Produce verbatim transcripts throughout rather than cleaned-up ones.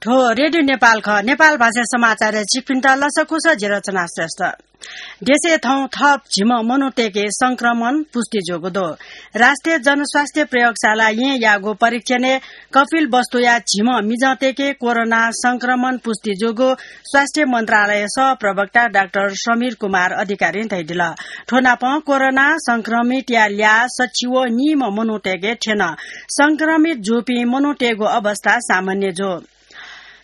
थ्व रेडियो नेपाल खः। नेपाल भाषा समाचारय् छिकपिन्त लसकुस, जि रचना श्रेष्ठ। देशय् थौं थप झिम्ह मनूतय्के संक्रमण पुष्टि जूगु दु। राष्ट्रिय जनस्वास्थ्य प्रयोगशाला येँयागु परीक्षणय् कपिलवस्तुया झिम्ह मिजंतय्के कोरोना संक्रमण पुष्टि जूगु स्वास्थ्य मन्त्रालय सहप्रवक्ता डाक्टर समीर कुमार अधिकारीं धयादिल। थ्व नापं कोरोना संक्रमितया ल्याः सछि व नीम्ह मनूतय्के थ्यन। संक्रमित जूपिं मनूतय्गु अवस्था सामान्य जू।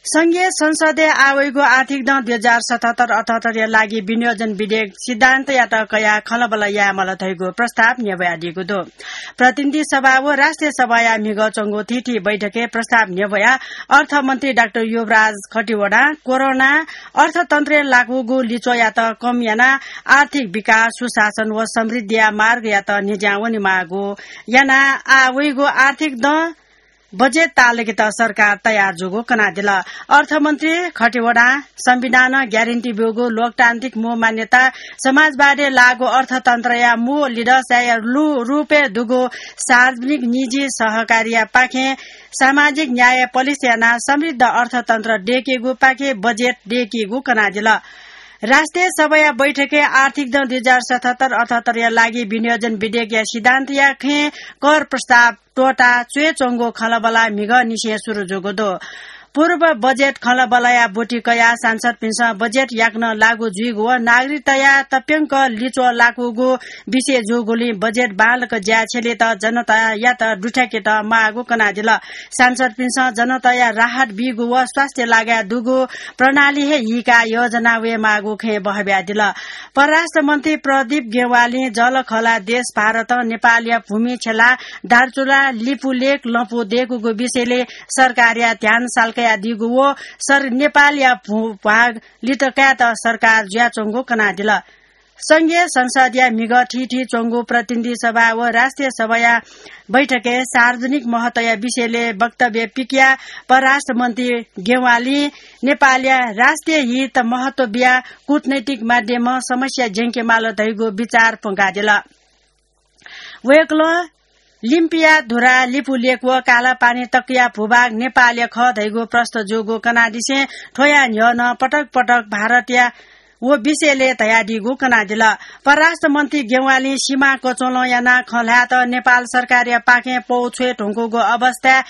संघीय संसदय् आः वइगु आर्थिक दँ दुई हजार सतहत्तर अठहत्तरया लागि विनियोजन विधेयक सिद्धान्तयात कयाः खँल्हाबल्हा यायेमाल धइगु प्रस्ताव न्ह्यब्वयादीगु दु। प्रतिनिधि सभा व राष्ट्रिय सभाया म्हिगः च्वंगु थीथी बैठकय् प्रस्ताव न्ह्यब्वयाः अर्थमन्त्री डाक्टर युवराज खतिवडां कोरोनां अर्थतन्त्रय् लाकूगु लिच्वःयात कम यानाः आर्थिक विकास, सुशासन व समृद्धिया मार्गयात न्ह्यज्यां वनेमाःगु यानाः आः वइगु आर्थिक दँ बजेट ताःलाकेत सरकार तयार जूगु कनादिल। अर्थमन्त्री खतिवडां संविधानं ग्यारेन्टी ब्यूगु लोकतान्त्रिक मू मान्यता, समाजवादय् लाःगु अर्थतन्त्रया मू लिडसया लु-, रूपय् दुगु सार्वजनिक निजी सहकारीया पाखें सामाजिक न्याय पलिस यानाः समृद्ध अर्थतन्त्र दयेकेगु पाखे बजेट दयेकेगु कनादिल। राष्ट्रिय सभाया बैठकय् आर्थिक दँ दुई हजार सतहत्तर अठहत्तरया लागि विनियोजन विधेयकया सिद्धान्तया खँय् कर प्रस्ताव त्वःता च्वय् च्वंगु खँल्हाबल्हा म्हिगःनिसें सुरु जूगु दु। पूर्व बजेट खँल्हाबल्हाया ब्वति कयाः सांसदपिन्सं बजेट याकनं लागू जुइगु व नागरिकताया तप्यंक लिच्वः लाकूगु विषय जूगुलिं बजेट बांलाक ज्या छ्यलेत जनतायात दुथ्याकेत माःगु कनादिल। सांसदपिन्सं जनताया राहत बीगु व स्वास्थ्य लागाय् दुगु प्रणाली हे हीकाः योजना वयेमाःगु खँय् बहब्यादिल। परराष्ट्र मन्त्री प्रदीप गेवालीं जःलाखःला देश भारतं नेपालया भूमि छेँला दार्चुला लिपुलेक लँपु दयेकूगु विषयलय् सरकारया ध्यान सालकयादीगु व सर-, नेपालया भू-, भाग लित कायेत सरकार जुयाच्वंगु कनादिल। संघीय संसदया म्हिगः थीथी च्वंगु प्रतिनिधि सभा व राष्ट्रिय सभाया बैठकय् सार्वजनिक महत्वया विषयलय् वक्तव्य पिकयाः परराष्ट्र मन्त्री गेवालीं नेपालया राष्ट्रिय हित महत्व बियाः कूटनैतिक माध्यमं समस्या ज्यंकेमाल धइगु विचार प्वंकादिल। वय्कलं लिम्पिया धुरा, लिपुलेक व कालापानी तकया भूभाग नेपालया खः धइगु प्रष्ट जूगु कनादिसें थ्वया न्ह्यः नं पटक पटक भारतया व विषयलय् धयादीगु कनादिल। परराष्ट्र मन्त्री गेवालीं सीमा कचोलं यानाः खँ ल्हायेत नेपाल सरकारया पाखें पौ छ्वये धुंकूगु अवस्थाय्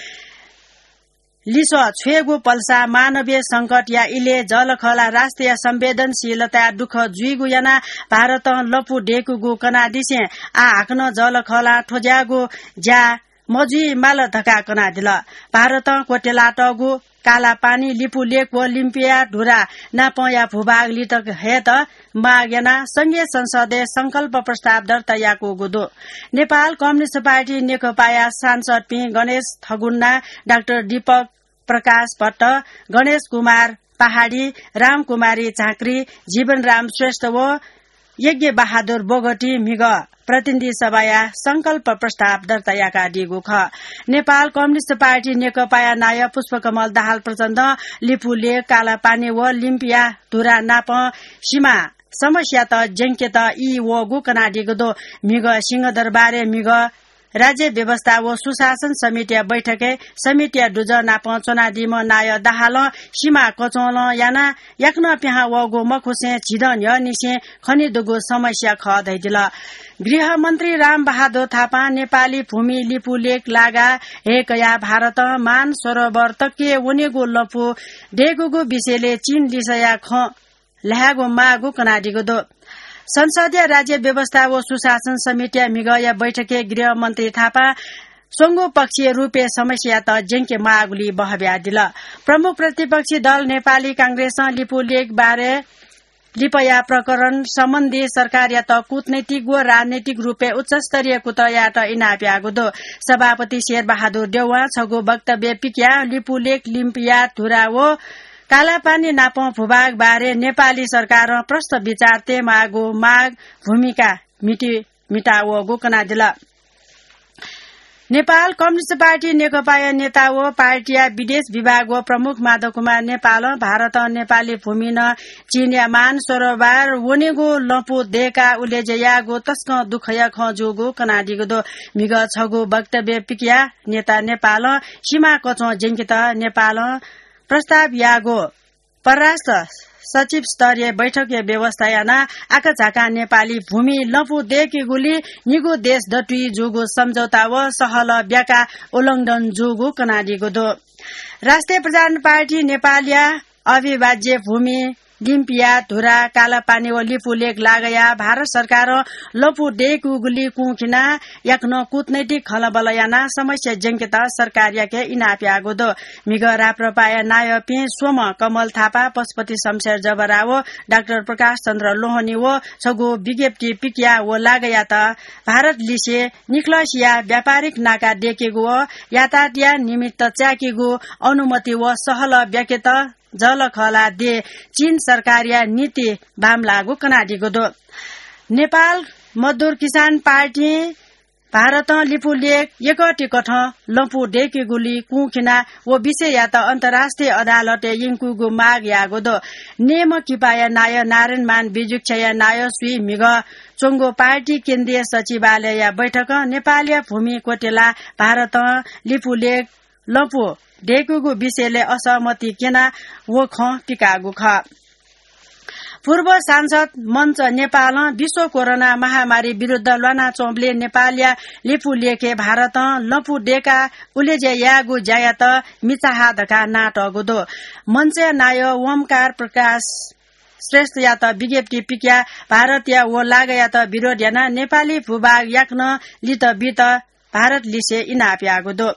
लिसः छ्वयेगु पल्सा मानवीय संकटया इलय् जःलाखःला राष्ट्रिय संवेदनशीलताय् दुःख जुइगु यानाः भारतं लँपु दयेकूगु कनादिसें आः हाकनं जःलाखःलां थ्व ज्याःगु ज्या मजुइमाल धकाः कनादिल। भारतं क्वत्यलातःगु कालापानी, लिपुलेक व लिम्पिया धुरा नापंया भूभाग लित हयेत माग यानाः संघीय संसदय् संकल्प प्रस्ताव दर्ता याकूगु दु। नेपाल कम्युनिस्ट पार्टी नेकपाया सांसदपिं गणेश थगुन्ना, डाक्टर दीपक प्रकाश भट्ट, गणेश कुमार पहाडी, रामकुमारी झाँक्री, जीवनराम श्रेष्ठ व यज्ञ बहादुर बोगटी म्हिगः प्रतिनिधि सभाया संकल्प प्रस्ताव दर्ता याकादीगु खः। नेपाल कम्युनिस्ट पार्टी नेकपाया नायः पुष्पकमल दाहाल प्रचण्डं लिपुलेक, कालापानी व लिम्पिया धुरा नापं सीमा समस्यात ज्यंकेत ई वःगु कनादीगु दु। म्हिगः सिंहदरबारय् म्हिगः राज्य व्यवस्था व सुशासन समितिया बैठकय् समितिया दुजः नाप च्वनादीम्ह नायः दाहालं सीमा कचोलं यानाः याकनं पिहां वःगु मखुसें झिदँ न्ह्यःनिसें खनेदुगु समस्या खः धयादिल। गृहमन्त्री रामबहादुर थापां नेपाली भूमि लिपुलेक लागा हे कयाः भारतं मानसरोवर तकय् वनेगु लँपु दयेकूगु विषयलय् चीन लिसःया खँ ल्हायेगु माःगु कनादीगु दु। संसदया राज्य व्यवस्था व सुशासन समितिया म्हिगःया बैठकय् गृहमन्त्री थापां स्वंगू पक्षीय रूपय् समस्यायात ज्यंके माःगुली बहब्यादिल। प्रमुख प्रतिपक्षी दल नेपाली कांग्रेसं लिपुलेक बारे लिपया प्रकरण सम्बन्धी सरकारयात कूटनैतिक व राजनैतिक रूपय् उच्चस्तरीय कुतः यायेत इनाप याःगु दु। सभापति शेरबहादुर देउवां छगू वक्तव्य पिकयाः लिपुलेक, लिम्पिया धुरा व कालापानी नापं भूभाग बारे नेपाली सरकारं प्रष्ट विचार तयेमाःगु माग भूमिका म्हिति म्हितावःगु कनादिल। नेपाल कम्युनिस्ट पार्टी नेकपाया नेता व पार्टीया विदेश विभाग व प्रमुख माधव कुमार नेपालं भारतं नेपाली भूमिं चीनया मानसरोवर वनेगु लँपु दयेकाः उलेज्या याःगु तसकं दुःखया खँ जूगु कनादीगु दु। म्हिगः छगू वक्तव्य पिकयाः नेता नेपालं सीमा कचों ज्यंकेत नेपालं प्रस्ताव याःगु परराष्ट्र सचिव स्तरीय बैठकया व्यवस्था यानाः आकाझाकां नेपाली भूमि लँपु दय्केगुली निगू देश दथुइ जूगु सम्झौता व सहलह ब्याका उल्लंघन जूगु कनादीगु दु। राष्ट्रिय प्रजातन्त्र पार्टी नेपालया अविभाज्य भूमि लिम्पिया, धुरा, कालापानी व लिपुलेक लागाया भारत सरकारं लँपु दय्केगुली कुंखिनाः याकनं कूटनैतिक खँल्हाबल्हा यानाः समस्या ज्यंकेत सरकारयाके इनाप याःगु दु। म्हिगः राप्रपाया नायःपिं स्वम्ह कमल थापा, पशुपति शमशेर जबरा व डाक्टर प्रकाश चन्द्र लोहनी व छगू विज्ञप्ति पिकया व लागायात भारत लिसे निकलसिया व्यापारिक नाका दय्केगु व यातायातया निमित्त च्याकेगु अनुमति व सहलह ब्याकेत जःलाखःला दे चीन सरकारया नीति बांमलाःगु कनादीगु दु। नेपाल मजदुर किसान पार्टीं भारतं लिपुलेक यकतिकथं लँपु दय्केगुली कुंखिना व विषययात अन्तर्राष्ट्रिय अदालतय् यंकूगु माग याःगु दु। नेमः किपाया नायः नारायणमान विजुक्षाया नायःसुइ म्हिगः च्वंगु पार्टी केन्द्रीय सचिवालयया बैठकं नेपालया भूमि क्वतेलाः भारतं लिपुलेक लँपु दय्केगु विषयलय् असहमति क्यनाः व खँ पिकाःगु खः। पूर्व सांसद मञ्च नेपालं विश्व कोरोना महामारी विरुद्ध ल्वानाच्वंबलय् नेपालया लिपुलेखय् भारतं लँपु दय्काः उलेज्या यायेगु ज्यायात मिचाहा धकाः नातःगु दु। मञ्चया नायः ओमकार प्रकाश श्रेष्ठयात विज्ञप्ति पिकया भारतया व लागायात विरोध यानाः नेपाली भूभाग याकनं लित बित भारत लिसे इनाप याःगु दु।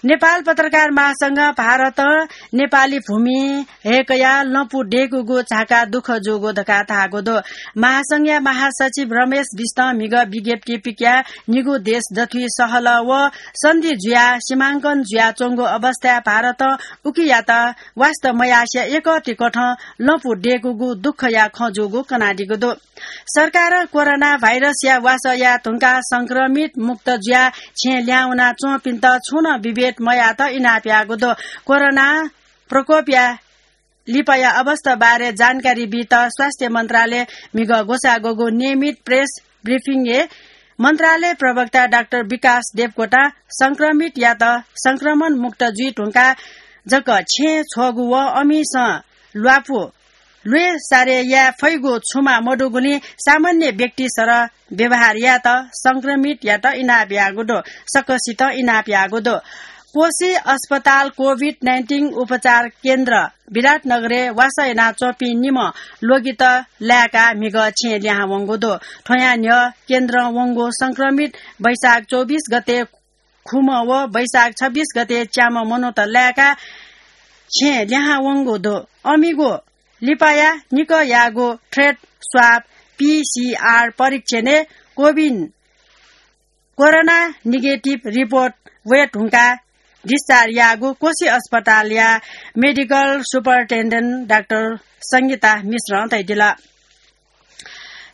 नेपाल पत्रकार महासंघं भारतं नेपाली भूमि हय्कयाः लँपु दय्कूगु झाका दुःख जूगु धकाः धाःगु दु। महासंघया महासचिव रमेश बिष्टं म्हिगः विज्ञप्ति पिकया निगू देश दथुइ सहलह व सन्धि जुयाः सीमांकन जुयाच्वंगु अवस्थाय् भारतं उकियात वास्ता मयासें यकतिकथं लँपु दय्कूगु दुःखया खँ जूगु कनादीगु दु। सरकारं कोरोना भाइरसया वासः याये धुंकाः संक्रमित मुक्त जुयाः छेँ ल्याहां वनाच्वंपिन्त छुं नं विभेद मयायेत इनाप याःगु दु। कोरोना प्रकोपया लिपाया अवस्था बारे जानकारी बीत स्वास्थ्य मन्त्रालयं म्हिगः ग्वसाः ग्वःगु नियमित प्रेस ब्रिफिङय् मन्त्रालय प्रवक्ता डाक्टर विकास देवकोटां संक्रमितयात संक्रमण मुक्त जुइ धुंकाः जक छेँ छ्वःगु व अमिसं ल्वापु ल्वय् सारे याये फइगु छुमा मदुगुलिं सामान्य व्यक्ति सरह व्यवहार यायेत संक्रमितयात इनाप याःगु दु, सकसितं इनाप याःगु दु। कोशी अस्पताल कोभिड नाइन्टिन उपचार केन्द्र विराटनगरय् वासः यानाच्वंपिं निम्ह ल्वगित लाय्काः म्हिगः छेँ ल्याहां वंगु दु। थ्वयां न्ह्यः केन्द्रं वंगु संक्रमित वैशाख चौबिस गते खुम्ह व वैशाख छब्बिस गते च्याम्ह मनूत लाय्काः छेँ ल्याहां वंगु दु। अमिगु लिपाया निकः याःगु थ्रेड स्वाब, पीसीआर, परीक्षणय् कोभिड कोरोना नेगेटिभ रिपोर्ट वये धुंकाः डिस्चार्ज याःगु कोशी अस्पतालया मेडिकल सुपरिन्टेन्डेन्ट डाक्टर संगीता मिश्रं धयादिल।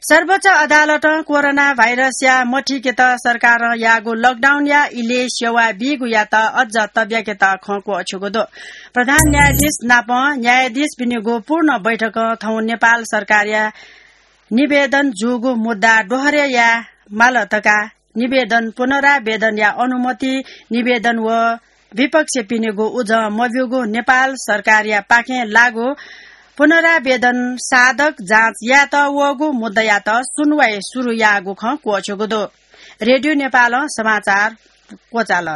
सर्वोच्च अदालतं कोरोना भाइरसया मथिकेत सरकारं याःगु लकडाउनया इलय् सेवा बीगुयात अझ तब्याकेत खँ क्वःछ्यूगु दु। प्रधान न्यायाधीश नाप न्यायाधीशपिनिगु पूर्ण बैठकं थौं नेपाल सरकारया निवेदन जूगु मुद्दा दोहरे याये माल धकाः निवेदन पुनरावेदनया अनुमति निवेदन व विपक्षपिनिगु उजं मब्यूगु नेपाल सरकारया पाखें लाःगु पुनरावेदन साधक जाँच यायेत वःगु मुद्दायात सुनुवाइ सुरु याःगु खँ क्वःछ्यूगु दु। रेडियो नेपालं समाचार क्वचाल।